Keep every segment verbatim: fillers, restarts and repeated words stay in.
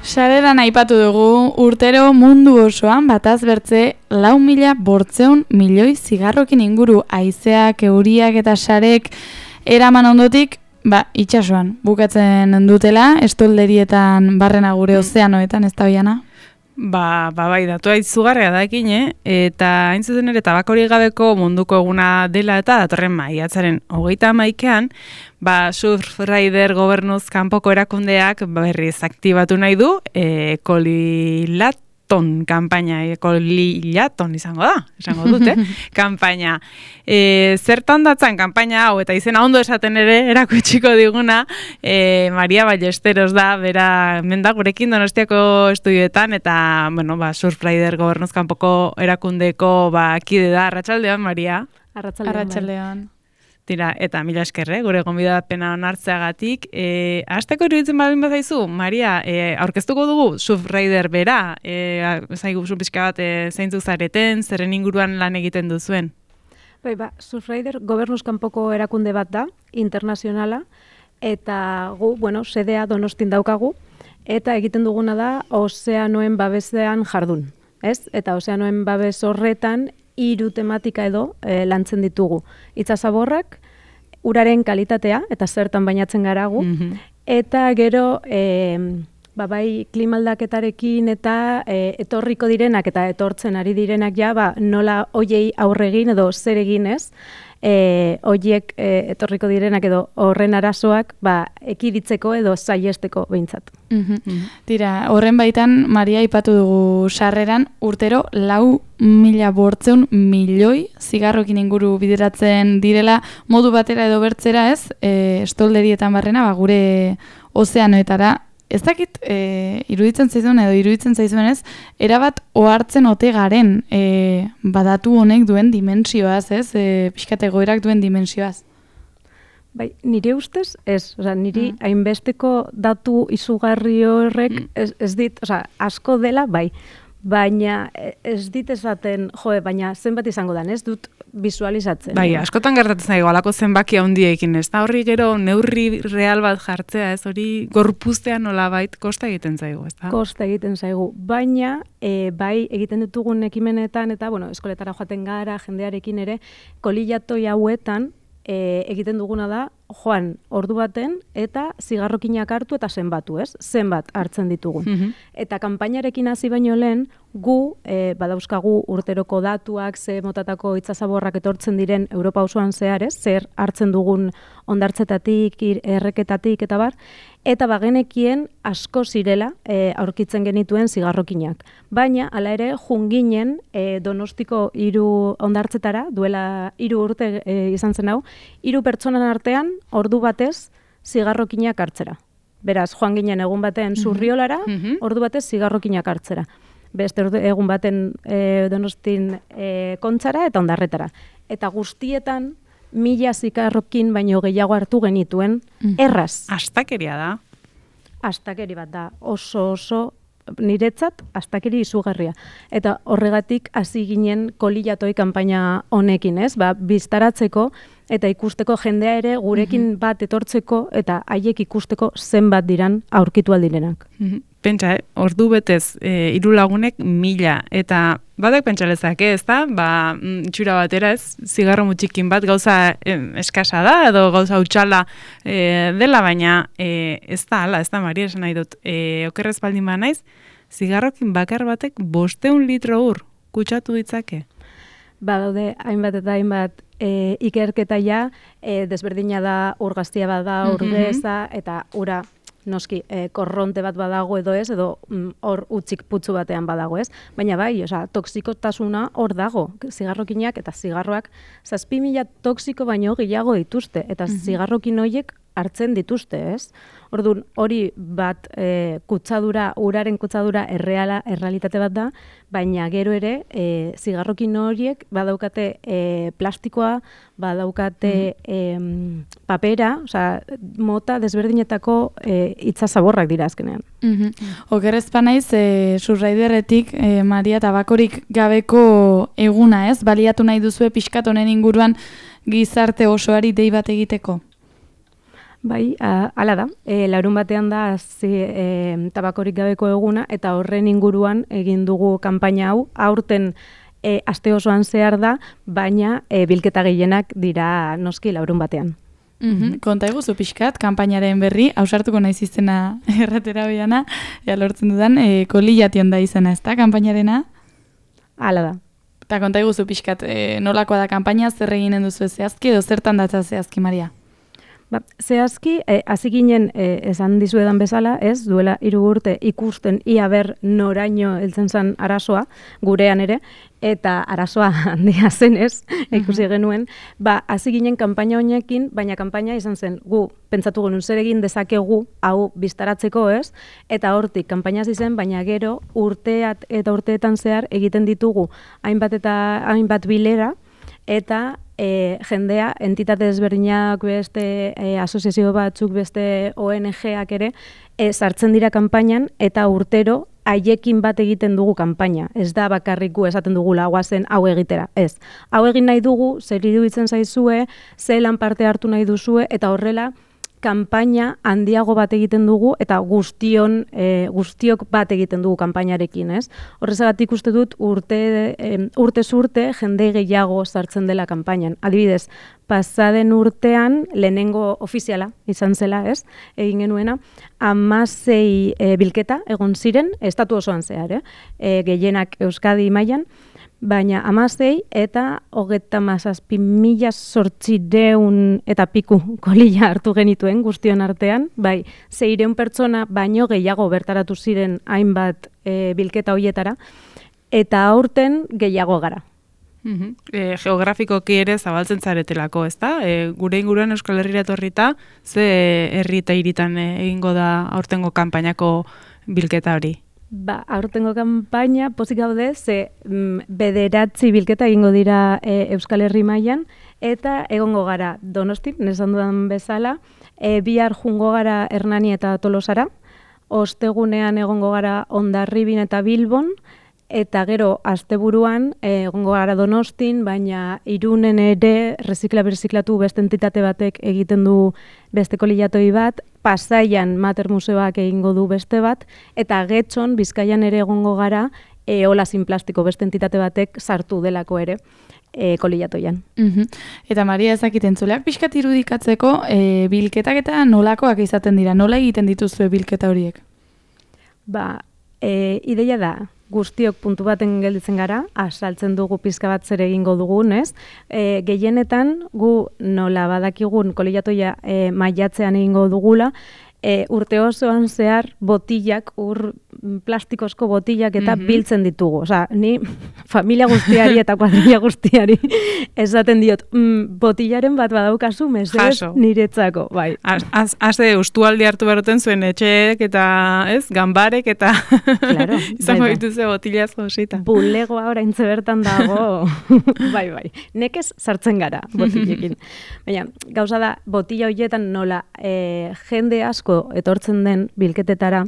Sareran aipatu dugu, urtero mundu osoan bataz bertze lau mila bortzeun milioi zigarrokin inguru haizeak, euriak eta sarek eraman ondotik, ba, itsasoan bukatzen dutela, estolderietan barrena gure ozeanoetan, ez da hoiana? Ba, ba, bai, datua izugarria da ekin, eh? Eta hain zuzen ere tabakorik gabeko munduko eguna dela eta datorren maiatzaren hogeita hamaikean, ba, Surfrider gobernuz kanpoko erakundeak berriz aktibatu nahi du, e, kolilaton kanpaina, e, kolilaton izango da, izango dute, kanpaina. E, zertan datzan kanpaina hau, eta izena ondo esaten ere, erakutsiko diguna, e, Maria Ballesteros da, bera, menda gurekin Donostiako estudioetan, eta, bueno, ba, Surfrider gobernuz kanpoko erakundeko, ba, kide da, arratsaldean, Maria. Arratsaldean. Arratsaldean. Tira, eta mila eskerre, gure gonbidapena onartzeagatik. E, Azteko iruditzen baldin bazaizu, Maria, e, aurkeztuko dugu Surfrider bera, e, zaigu pixka bat e, zeintzuk zareten, zerren inguruan lan egiten duzuen? Bai, ba, Surfrider gobernuz kanpoko erakunde bat da, internazionala, eta gu, bueno, sedea Donostin daukagu, eta egiten duguna da ozeanoen babesean jardun, ez? Eta ozeanoen babes horretan hiru tematika edo e, lantzen ditugu. Itsasaborrak, uraren kalitatea, eta zertan bainatzen garagu, mm-hmm. eta gero, e, ba, bai, klimaldaketarekin eta e, etorriko direnak eta etortzen ari direnak ja, ba, nola hoiei aurregin edo zer egin ez, e, hoiek e, etorriko direnak edo horren arazoak ba, ekiditzeko edo saiesteko behintzat. Mm-hmm. Mm-hmm. Tira, horren baitan, Maria aipatu dugu sarreran, urtero lau mila bortzeun milioi zigarrokin inguru bideratzen direla modu batera edo bertzera ez, e, estolderietan barrena, ba, gure ozeanoetara. Ez dakit, e, iruditzen zaizuen edo iruditzen zaizuen ez, erabat ohartzen ote garen e, badatu honek duen dimensioaz, ez, e, pixkat egoerak duen dimensioaz. Bai, nire ustez, ez, oza, niri mm. hainbesteko datu izugarri horrek mm. ez, ez dit, oza, asko dela, bai, baina ez dit esaten, joe, baina zenbat izango dan, ez dut visualizatzen. Bai, askotan gertatzen zaigu, alako zenbaki handiekin, ez da horri gero neurri real bat jartzea, ez hori gorpuztean nolabait kosta egiten zaigu, ez da? Kosta egiten zaigu, baina e, bai egiten ditugun ekimenetan, eta bueno, eskoletara joaten gara, jendearekin ere, kolilatoi hauetan, E, egiten duguna da, joan, ordu baten, eta zigarrokinak hartu eta zenbatu, ez? Zenbat hartzen ditugun. Mm-hmm. Eta kanpainarekin hasi baino lehen, gu, e, badauzkagu urteroko datuak, ze motatako itsasaborrak etortzen diren Europa osoan zehar, ez? Zer hartzen dugun hondartzetatik, erreketatik, eta bar, eta bagenekien asko zirela e, aurkitzen genituen zigarrokinak. Baina, hala ere, junginen e, Donostiko hiru hondartzetara, duela hiru urte e, izan zen hau, hiru pertsonan artean, ordu batez, zigarrokinak hartzera. Beraz, joan ginen egun baten Zurriolara, mm-hmm. ordu batez zigarrokinak hartzera. Beste egun baten e, Donostin e, kontzara eta ondarretara. Eta guztietan, mila zigarrokin baino gehiago hartu genituen, mm. erraz. Astakeria da. Astakeri bat da, oso oso niretzat astakeri izugarria. Eta horregatik hasi ginen kolilatoi kanpaina honekin, ez? Ba, biztaratzeko eta ikusteko jendea ere gurekin mm-hmm. bat etortzeko eta haiek ikusteko zenbat diran aurkitu aldirenak. Mm-hmm. Pentsa, eh? Ordu betez e, hiru lagunek mila, eta badak pentsa lezake, ez da? Ba, itxura batera ez, zigarro mutxikin bat gauza e, eskasa da, edo gauza utxala e, dela, baina e, ez da, ala, ez da, Maria, esan nahi dut, e, okerrez baldin ba naiz, zigarrokin bakar batek bosteun litro ur kutsatu ditzake. Ba, daude, hainbat eta hainbat e, ikerketa ja, e, desberdina da, ur gaztia bat da, ur beza, mm-hmm. eta ura, noski, e, korronte bat badago edo ez, edo hor mm, utzik putzu batean badago ez, baina bai, oza, toksikotasuna hor dago, zigarrokinak eta zigarroak, zazpi mila toksiko baino gehiago dituzte, eta mm-hmm. zigarrokin horiek hartzen dituzte, ez? Orduan, hori bat e, kutsadura, uraren kutsadura erreala, errealitate bat da, baina gero ere, e, zigarrokin horiek badaukate e, plastikoa, badaukate mm-hmm. e, papera, osea, mota desberdinetako e, itsasaborrak dira azkenean. Mm-hmm. Okerrezpa naiz, e, Surfriderretik, e, Maria, tabakorik gabeko eguna, ez? Baliatu nahi duzue pixkat honen inguruan gizarte osoari dei bat egiteko? Bai, a- hala da. E, larun batean da zi, e, tabakorik gabeko eguna eta horren inguruan egin dugu kanpaina hau. Aurten e, aste osoan zehar da, baina e, bilketa gehienak dira noski larun batean. Mm-hmm. Konta eguzu pixkat, kanpainaren berri, hausartuko naiz izena erratera biana, ea lortzen dudan, e, kolillation da izena, ez da, kanpainarena? Hala da. Eta konta eguzu pixkat, e, nolakoa da kanpaina, zer eginen duzu zehazki, edo zertan datza zehazki, Maria? Ba, zehazki, eh, hasi ginen eh, esan dizuedan bezala, ez, duela hiru urte ikusten ia ber noraino heltzen zen arazoa, gurean ere, eta arazoa handia zenez, ikusi genuen, ba, hasi ginen kanpaina honekin, baina kanpaina izan zen, gu, pentsatu genuen zer egin dezakegu, hau biztaratzeko, ez, eta hortik kanpaina zen, baina gero urteat eta urteetan zehar egiten ditugu hainbat eta hainbat bilera, eta e, jendea, entitate desberdinak beste, e, asoziazio batzuk beste O N G-ak ere, e, sartzen dira kanpainan eta urtero haiekin bat egiten dugu kanpaina. Ez da bakarrik gu esaten dugula guazen hau egitera, ez. Hau egin nahi dugu, zer iruditzen zaizue, zelan parte hartu nahi duzue, eta horrela, kanpaina handiago bat egiten dugu eta guztion e, guztiok bat egiten dugu kanpainarekin, ez? Horrezagatik uste dut urte e, urtez urte jende gehiago sartzen dela kanpainan. Adibidez, pasaden urtean lehenengo ofiziala izan zela, ez? Egin genuena hamasei e, bilketa egon ziren estatu osoan zehar, eh? E, gehienak Euskadi mailan. Baina hamasei eta hogeita hamazazpi mila zortziehun eta piku kolila hartu genituen guztion artean, bai, seiehun pertsona baino gehiago bertaratu ziren hainbat e, bilketa hoietara, eta aurten gehiago gara. Mm-hmm. E, geografikoki ere zabaltzen zaretelako, ezta? E, gure inguruan Euskal Herrira etorrita, ze herri eta hiritan egingo da aurtengo kanpainako bilketa hori? Ba, aurtengo kanpaina pozik gaude, ze mm, bederatzi bilketa egingo dira e, Euskal Herri mailan eta egongo gara Donostin, nesan dudan bezala, e, bihar jungo gara Hernani eta Tolosara, ostegunean egongo gara Hondarribin eta Bilbon, eta gero asteburuan e, egongo gara Donostin, baina Irunen ere rezikla berziklatu beste entitate batek egiten du beste kolilatoi bat, Pasaian Mater Museoak egingo du beste bat, eta Getxon Bizkaian ere egongo gara e, Ola sin plastiko beste entitate batek sartu delako ere e, kolilatoian. Mm-hmm. Eta Maria ezakiten zuleak pixkat irudikatzeko e, bilketak eta nolakoak izaten dira, nola egiten dituzue bilketa horiek? Ba, e, ideia da, guztiok puntu baten gelditzen gara, asaltzen dugu pizka bat zer egingo dugun, ez? E, gehienetan, gu nola badakigun kolilatoia e, maiatzean egingo dugula, e, urte osoan zehar botillak, ur plastikozko botillak eta mm-hmm. biltzen ditugu. Osa, ni familia guztiari eta kuadrilla guztiari esaten diot, mm, botillaren bat badaukazu mesedez niretzako. Bai. Haze, ustualdi hartu beroten zuen etxeek eta, ez, ganbarek eta claro, izango bai, dituze botillaz josita. Bulegoa oraintze bertan dago. bai, bai. Nekez sartzen gara botillekin. Baina, gauza da, botilla horietan nola e, jende asko etortzen den bilketetara,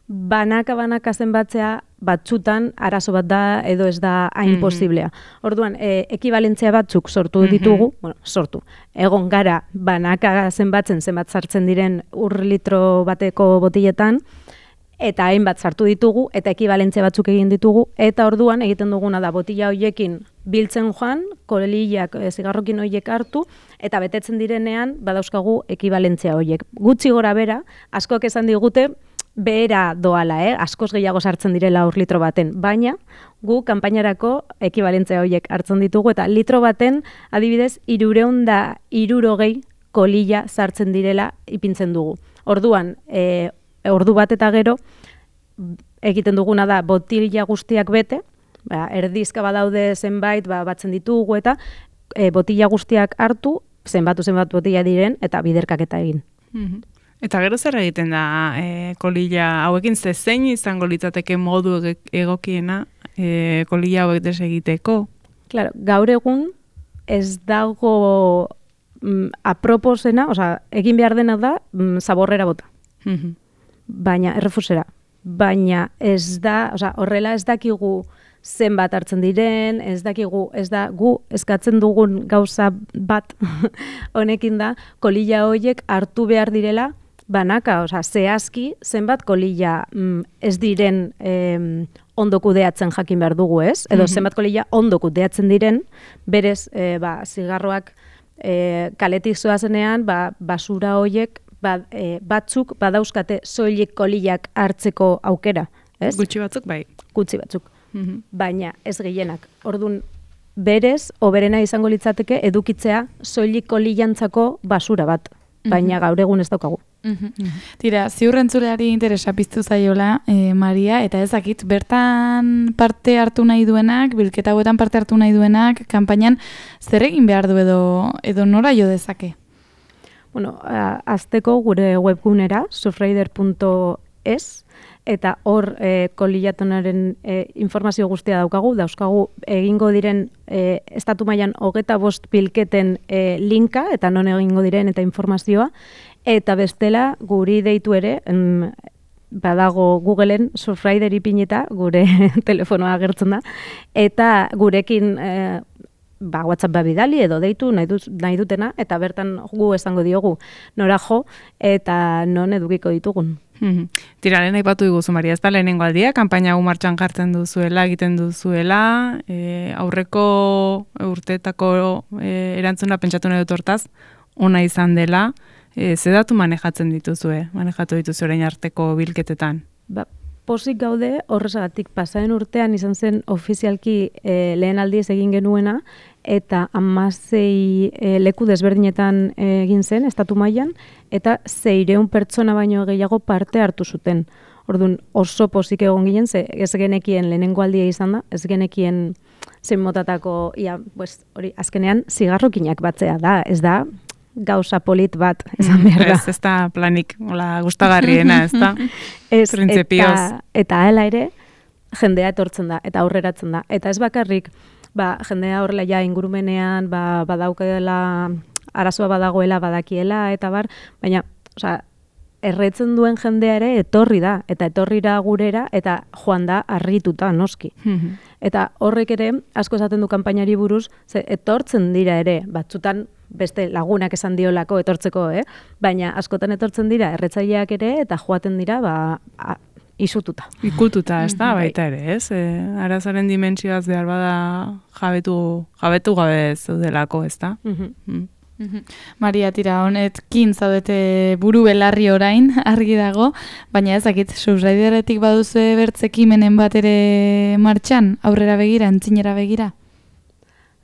banaka-banaka zenbatzea batzutan arazo bat da edo ez da hain mm-hmm. posiblea. Orduan, e, ekibalentzia batzuk sortu ditugu, mm-hmm. bueno, sortu, egon gara banaka zenbatzen zenbat sartzen diren ur litro bateko botilletan, eta hainbat sartu ditugu, eta ekibalentzia batzuk egin ditugu, eta orduan egiten duguna da botilla hoiekin biltzen joan, kolillak, e, zigarrokin hoiek hartu, eta betetzen direnean badauzkagu ekibalentzia hoiek. Gutxi gora bera, askok esan digute, behera doala, eh? Askoz gehiago sartzen direla ur litro baten, baina gu kanpainarako ekibalentzia horiek hartzen ditugu, eta litro baten adibidez hirureun da hirurogei kolilla sartzen direla ipintzen dugu. Orduan, e, ordu bat eta gero egiten duguna da botilla guztiak bete, ba, erdizka badaude zenbait, ba, batzen ditugu eta e, botilla guztiak hartu, zenbatu zenbat botilla diren, eta biderkaketa egin. Mm-hmm. Eta gero zer egiten da e, kolilla hauekin, ze zein izango litzateke modu egokiena e, kolilla hauek desegiteko? Claro, gaur egun ez dago mm, aproposena, osea, egin behar dena da mm, zaborrera bota. Mm-hmm. Baina errefusera. baina ez da, osea, horrela ez dakigu zenbat hartzen diren, ez dakigu, ez da gu eskatzen dugun gauza bat honekin da, kolila horiek hartu behar direla banaka, osea, zehazki zenbat kolila mm, ez diren eh, ondo kudeatzen jakin behar dugu, ez? Edo zenbat kolila ondo kudeatzen diren, berez, eh, ba, zigarroak eh, kaletik zoazenean, ba, basura horiek ba, eh, batzuk badauzkate soilik kolilak hartzeko aukera, ez? Gutxi batzuk, bai. Gutxi batzuk. Baina ez gehienak. Orduan, berez, oberena izango litzateke edukitzea soilik kolilantzako basura bat. Baina gaur egun ez daukagu. Tira, ziurrentzuleari interesa piztu zaiola, eh, Maria, eta ezakit, bertan parte hartu nahi duenak, bilketa hauetan parte hartu nahi duenak, kanpainan zer egin behar du edo, edo nora jo dezake? Bueno, azteko gure webgunera, surfrider punto es, eta hor e, kolilatonaren e, informazio guztia daukagu, dauzkagu egingo diren e, estatu mailan hogeta bost bilketen e, linka, eta non egingo diren eta informazioa, eta bestela guri deitu ere, em, badago Googleen Surfrider ipinita, gure telefonoa agertzen da, eta gurekin e, ba, WhatsApp bidali edo deitu nahi, duz, nahi dutena, eta bertan gu esango diogu nora jo, eta non edukiko ditugun. Tira, lehen aipatu diguzu, Maria, ez da lehenengo aldia, kanpaina hau martxan jartzen duzuela, egiten duzuela, e, aurreko urteetako e, erantzuna pentsatu nahi dut hortaz, ona izan dela, e, ze datu manejatzen dituzue, manejatu dituzue orain arteko bilketetan? Ba, Pozik gaude, horrezagatik pasaren urtean izan zen ofizialki e, lehen aldiz egin genuena, eta hamasei e, leku desberdinetan e, egin zen, estatu mailan, eta zeireun pertsona baino gehiago parte hartu zuten. Orduan oso pozik egon ginen, ze ez genekien lehenengo aldia izan da, ez genekien zein motatako, ia, pues, hori, azkenean zigarrokinak batzea da, ez da, gauza polit bat, esan behar da. Ez, ez da planik, hola, gustagarriena, ez da? Ez, eta, eta hala ere, jendea etortzen da, eta aurreratzen da. Eta ez bakarrik, ba, jendea horrela ja ingurumenean, ba, badaukadela, arazoa badagoela, badakiela, eta bar, baina, osea, erretzen duen jendea ere etorri da, eta etorrira gurera, eta joan da harrituta, noski. Eta horrek ere, asko esaten du kanpainari buruz, ze etortzen dira ere, batzutan beste lagunak esan diolako etortzeko, eh? Baina askotan etortzen dira erretzaileak ere, eta joaten dira, ba, a, isututa. Ikututa, ez da, baita ere, ez? E, arazaren dimentsioaz behar bada jabetu, jabetu gabe zeudelako, ez da? Maria, tira, honetkin zaudete buru belarri orain, argi dago, baina ezakit, Surfrideretik baduzu bertzekimenen bat ere martxan, aurrera begira, entzinera begira?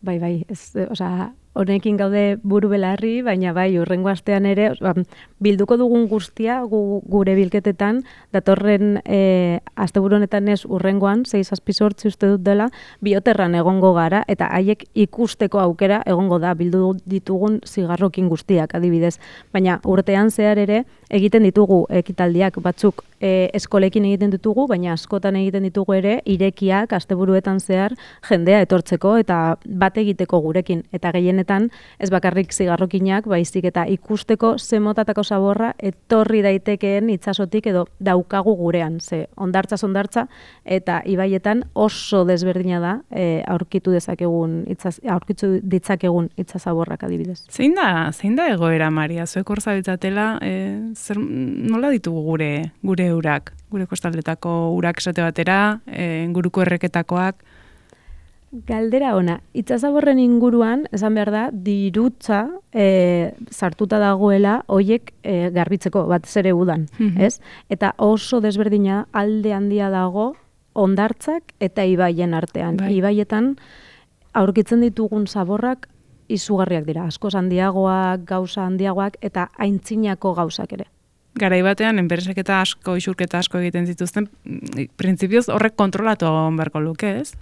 Bai, bai, ez, osea, honekin gaude buru belarri, baina bai, urrengo astean ere, ba, bilduko dugun guztia gu, gure bilketetan, datorren e, asteburu honetan ez urrengoan, sei zazpi zortzi uste dut dela, bioterran egongo gara, eta haiek ikusteko aukera egongo da, bildu ditugun zigarrokin guztiak adibidez. Baina urtean zehar ere, egiten ditugu ekitaldiak batzuk e, eskolekin egiten ditugu, baina askotan egiten ditugu ere, irekiak asteburuetan zehar jendea etortzeko, eta bat egiteko gurekin, eta gehienetan ez bakarrik zigarrokinak, baizik eta ikusteko ze motatako zaborra etorri daitekeen itsasotik edo daukagu gurean, ze ondartza ondartza eta ibaietan oso desberdina da e, aurkitu dezakegun itzaz, aurkitu ditzakegun itsasaborrak adibidez. Zein da, zein da egoera, Maria? Zuek hor zabiltzatela, e, zer, nola ditugu gure gure urak, gure kostaldetako urak esate batera, e, inguruko erreketakoak? Galdera ona, itsasaborren inguruan, esan behar da, dirutza e, sartuta dagoela hoiek e, garbitzeko, batez ere udan, mm-hmm. ez? Eta oso desberdina alde handia dago hondartzak eta ibaien artean. Bai. Ibaietan aurkitzen ditugun zaborrak izugarriak dira, askoz handiagoak, gauza handiagoak eta aintzinako gauzak ere. Garai batean, enpresek eta asko, isurketa asko egiten zituzten, printzipioz horrek kontrolatu egon beharko luke, ez?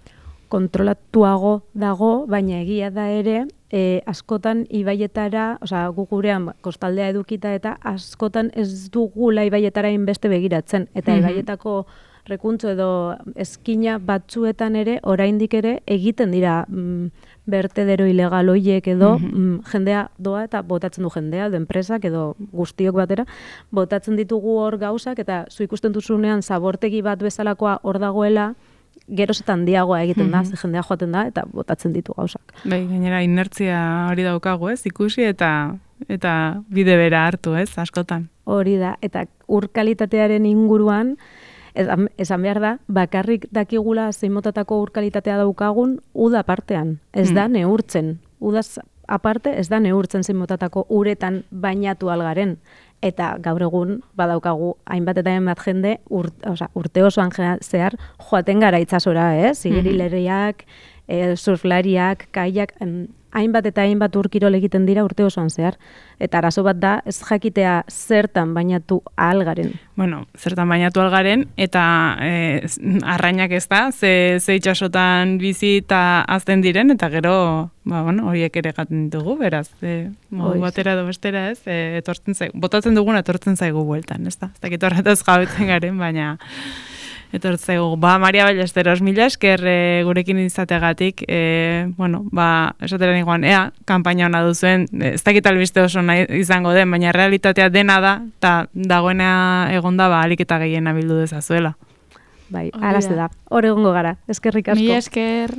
Kontrolatuago dago, baina egia da ere, e, askotan ibaietara, osea, gu gurean kostaldea edukita eta askotan ez dugula ibaietara inbeste begiratzen, eta mm-hmm. ibaietako rekuntzo edo eskina batzuetan ere, oraindik ere, egiten dira mm, bertedero ilegal hoiek edo mm-hmm. mm, jendea doa eta botatzen du jendea, edo enpresak edo guztiok batera, botatzen ditugu hor gauzak eta zu ikusten duzunean zabortegi bat bezalakoa hor dagoela, gerozetan handiagoa egiten da, mm-hmm. ze jendea joaten da eta botatzen ditu gauzak. Bai, gainera inertzia hori daukagu, ez? Ikusi eta eta bide bera hartu, ez? Askotan. Hori da, eta ur kalitatearen inguruan, esan, esan behar da, bakarrik dakigula zein motatako ur kalitatea daukagun uda partean. Ez mm. da neurtzen. Udaz aparte ez da neurtzen zein motatako uretan bainatu algaren. Eta gaur egun badaukagu hainbat eta hainbat jende ur, oza, urte osoan zehar joaten gara itsasora, eh? Zigerileriak, mm-hmm. e, surflariak, kaiak, em, hainbat eta hainbat urkirol egiten dira urte osoan zehar. Eta arazo bat da, ez jakitea zertan bainatu algaren. Bueno, zertan bainatu algaren, eta e, arrainak ez da, ze, ze itxasotan bizi eta azten diren, eta gero, ba, bueno, horiek ere gaten ditugu, beraz, e, modu batera edo bestera ez, e, etortzen zaigu, botatzen duguna etortzen zaigu bueltan, ez da? Ez dakit horretaz jabetzen garen, baina etortzegu. Ba, Maria Ballesteros, mila esker e, gurekin izategatik, e, bueno, ba, esatera niguan, ea, kanpaina hona duzuen, ez dakit albiste oso nahi izango den, baina realitatea dena da, eta dagoena egonda, ba, alik eta gehiena bildu dezazuela. Bai, alazte da. Hor egongo gara. Eskerrik asko. Mila esker.